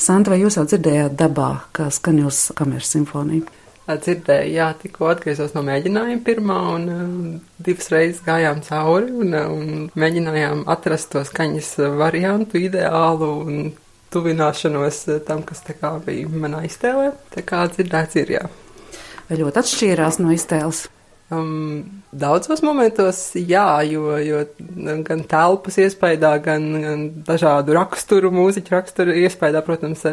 Santa, vai jūs jau dzirdējāt dabā, kā skan jūsu kameras simfonija? Dzirdēju, jā, tikko atgriezos no mēģinājuma pirmā un divas reizes gājām cauri un mēģinājām atrast to skaņas variantu ideālu un tuvināšanos tam, kas tā kā bija manā iztēlē. Tā kā dzirdēts ir, jā. Vai ļoti atšķīrās no iztēles? Daudzos momentos, jā, jo gan telpas iespējā, gan dažādu raksturu, mūziķu raksturu iespējā, protams,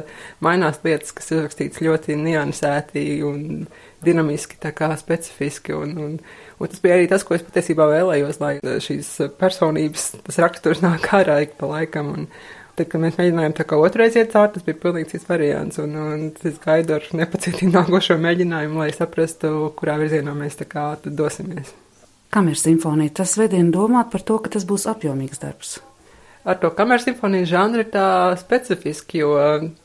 mainās lietas, kas ir rakstīts ļoti niansēti un dinamiski, tā kā specifiski. Un tas bija arī tas, ko es patiesībā vēlējos, lai šīs personības, tas raksturs nāk ārā ik pa laikam. Un tad, kad mēs mēģinājām tā kā otrais iet cauri, tas bija pilnīgi cits variants. Un es gaidu ar nepacietību nākošo mēģinājumu, lai saprastu, kurā virzienā mēs tā kā dosimies. Kameras simfonija, tas vedina domāt par to, ka tas būs apjomīgs darbs. Ar to kameras simfonijas žanru ir tā specifiski, jo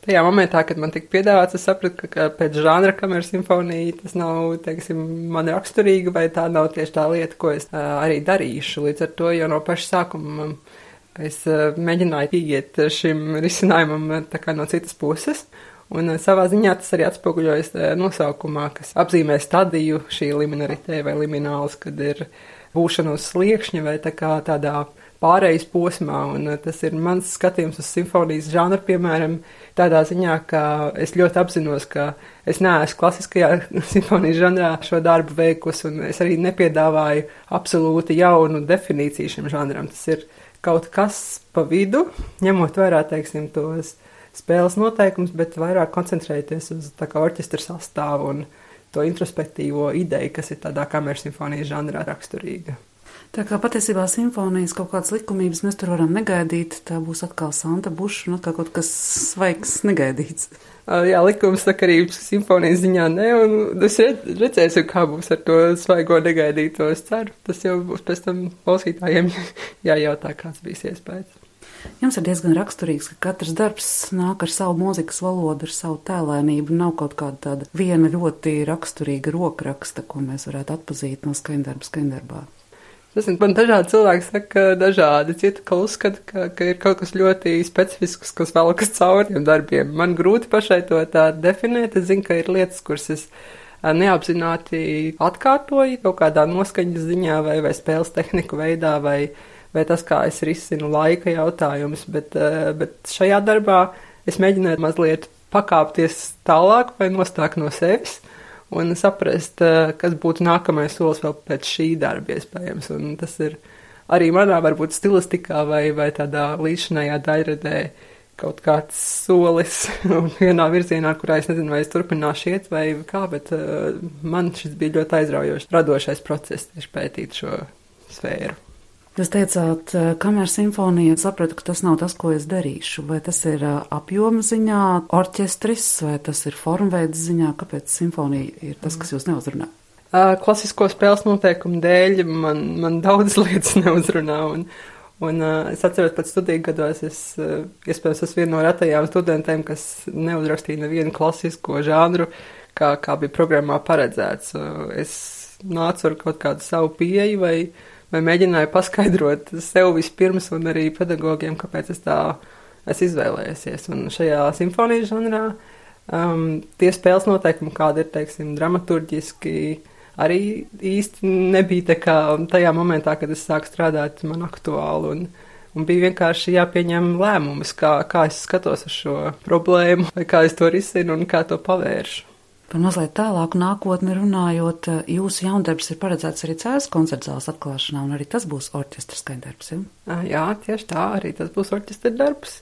tajā momentā, kad man tika piedāvāts, es sapratu, ka pēc žanra kameras simfonija tas nav, teiksim, man raksturīga, vai tā nav tieši tā lieta, ko es arī darīšu. Līdz ar to jau no paša sākuma es mēģināju ieiet šim risinājumam tā kā no citas puses, un savā ziņā tas arī atspoguļojas nosaukumā, kas apzīmē stadiju šī liminaritē vai limināls, kad ir būšana uz sliekšņa vai tā kā tādā pārejas posmā, un tas ir mans skatījums uz simfonijas žanru, piemēram, tādā ziņā, ka es ļoti apzinos, ka es neesmu klasiskajā simfonijas žanrā šo darbu veikusi, un es arī nepiedāvāju absolūti jaunu definīciju šim žanram. Tas ir kaut kas pa vidu, ņemot vērā, teiksim, tos spēles noteikums, bet vairāk koncentrēties uz tā kā orķestra sastāvu un to introspektīvo ideju, kas ir tādā kameras simfonijas žanrā raksturīga. Tā kā patiesībā simfonijas kaut kādas likumības mēs tur varam negaidīt, tā būs atkal Santa Buša un atkal kaut kas svaigs negaidīts. Jā, likums sakarības simfonijas ziņā ne, un es redzēsim, kā būs ar to svaigo negaidīto, es ceru. Tas jau būs pēc tam klausītājiem jājautā, kāds bijis iespējas. Jums ir diezgan raksturīgs, ka katrs darbs nāk ar savu mūzikas valodu, ar savu tēlēnību, nav kaut kāda tāda viena ļoti raksturīga rokraksta, ko mēs varētu atpazīt no skaņdarbā. Man dažādi cilvēki saka dažādi, citi, ka uzskata, ka ir kaut kas ļoti specifisks, kas velkas cauri tiem darbiem. Man grūti pašai to tā definēt, es zinu, ka ir lietas, kuras es neapzināti atkārtoju kaut kādā noskaņas ziņā vai spēles tehniku veidā vai tas, kā es risinu laika jautājumus, bet šajā darbā es mēģināju mazliet pakāpties tālāk vai nostāk no sevis un saprast, kas būtu nākamais solis vēl pēc šī darba iespējams. Un tas ir arī manā varbūt stilistikā vai tādā līdzinājā daļradē kaut kāds solis vienā virzienā, kurā es nezinu, vai es turpināšu iet vai kā, bet man šis bija ļoti aizraujošs, radošais process tieši pētīt šo sfēru. Jūs teicāt, kameras simfonija, sapratu, ka tas nav tas, ko es darīšu. Vai tas ir apjoma ziņā, orķestris, vai tas ir formveida ziņā? Kāpēc simfonija ir tas, kas jūs neuzrunā? Klasisko spēles noteikumu dēļ man daudz lietas neuzrunā. Un es atceros, pēc studiju gados iespējams esmu viena no retajām studentēm, kas neuzrakstīja nevienu klasisko žanru, kā bija programmā paredzēts. Es nācu ar kaut kādu savu pieeju vai mēģināju paskaidrot sev vispirms un arī pedagogiem, kāpēc es izvēlējusies. Un šajā simfonijas žanrā tie spēles noteikumi, kādi ir, teiksim, dramaturģiski, arī īsti nebija tā kā tajā momentā, kad es sāku strādāt, man aktuāli. Un bija vienkārši jāpieņem lēmumus, kā es skatos uz šo problēmu, vai kā es to risinu un kā to pavēršu. Par mazliet tālāku nākotni runājot, jūsu jaundarbs ir paredzēts arī Cēzes koncertzāles atklāšanā, un arī tas būs orķestra skaņdarbs, ja? Jā, tieši tā, arī tas būs orķestra darbs.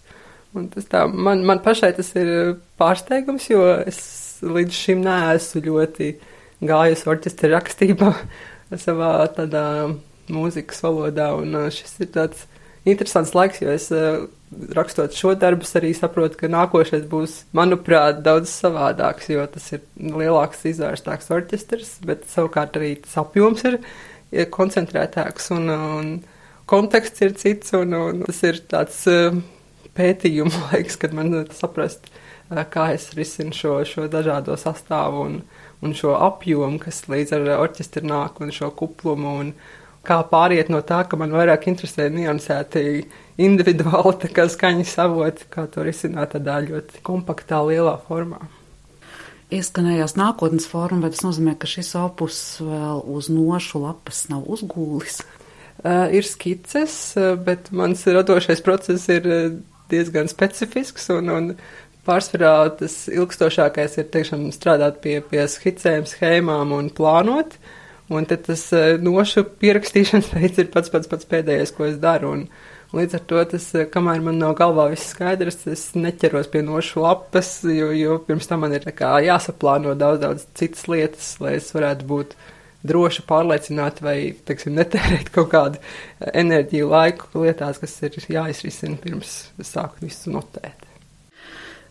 Un tas tā, man pašai tas ir pārsteigums, jo es līdz šim neesmu ļoti gājusi orķestra rakstībā savā tādā mūzikas valodā, un šis ir tāds interesants laiks, jo es rakstot šo darbus arī saprotu, ka nākošais būs, manuprāt, daudz savādāks, jo tas ir lielāks, izvērstāks orķestrs, bet savukārt arī tas apjoms ir koncentrētāks un konteksts ir cits, un tas ir tāds pētījumu laiks, kad man saprast, kā es risinu šo dažādo sastāvu un šo apjomu, kas līdz ar orķestri nāk, un šo kuplumu kā pāriet no tā, ka man vairāk interesē niansēti individuāli tā kā skaņas avoti, kā to risināt tādā ļoti kompaktā, lielā formā. Ieskanējās nākotnes forma, vai tas nozīmē, ka šis opus vēl uz nošu lapas nav uzgūlis? Ir skices, bet mans radošais process ir diezgan specifisks un pārsvarā tas ilgstošākais ir tiešām strādāt pie skicēm, schēmām un plānot. Un tad tas nošu pierakstīšanas veids ir pats pēdējais, ko es daru. Un līdz ar to tas, kamēr man nav galvā viss skaidrs, es neķeros pie nošu lapas, jo pirms tam man ir tā kā jāsaplāno daudz citas lietas, lai es varētu būt droši pārliecināti vai, teiksim, netērēt kaut kādu enerģiju laiku lietās, kas ir jāizrisina pirms sāku visu notēt.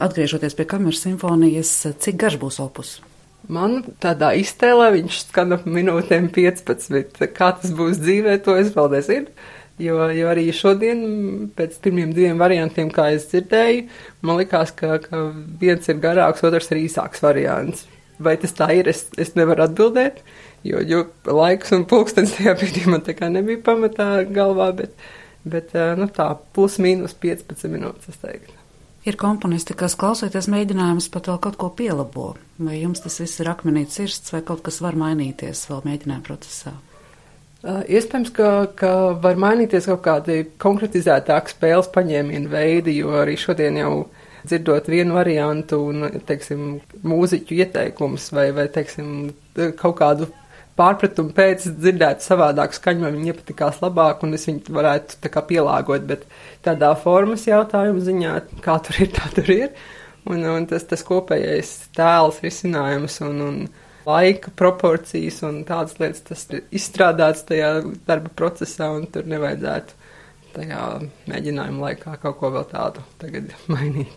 Atgriežoties pie kameras simfonijas, cik garš būs opus? Man tādā iztēlē viņš skan ap minūtēm 15. Kā tas būs dzīvē, to es vēl nezinu. Jo arī šodien, pēc pirmiem 2 variantiem, kā es dzirdēju, man likās, ka viens ir garāks, otrs ir īsāks variants. Vai tas tā ir, es nevaru atbildēt, jo laiks un pulkstens tajā brīdī man tā kā nebija pamatā galvā, bet tā plus mīnus 15 minūtes, es teiktu. Ir komponisti, kas klausoties mēģinājumus pat vēl kaut ko pielabo. Vai jums tas viss ir akmenī cirsts vai kaut kas var mainīties vēl mēģinājuma procesā? Iespējams, ka var mainīties kaut kādi konkretizētāki spēles paņēmienu veidi, jo arī šodien jau dzirdot vienu variantu un, teiksim, mūziķu ieteikums vai teiksim, kaut kādu pārpratumu pēc dzirdēt savādāku skaņu, man viņi iepatikās labāk un es viņu varētu tā kā pielāgot, bet tādā formas jautājumu ziņā, kā tur ir, tā tur ir. Un tas kopējais tēls, risinājums un laika proporcijas un tādas lietas, tas ir izstrādāts tajā darba procesā un tur nevajadzētu tajā mēģinājuma laikā kaut ko vēl tādu tagad mainīt.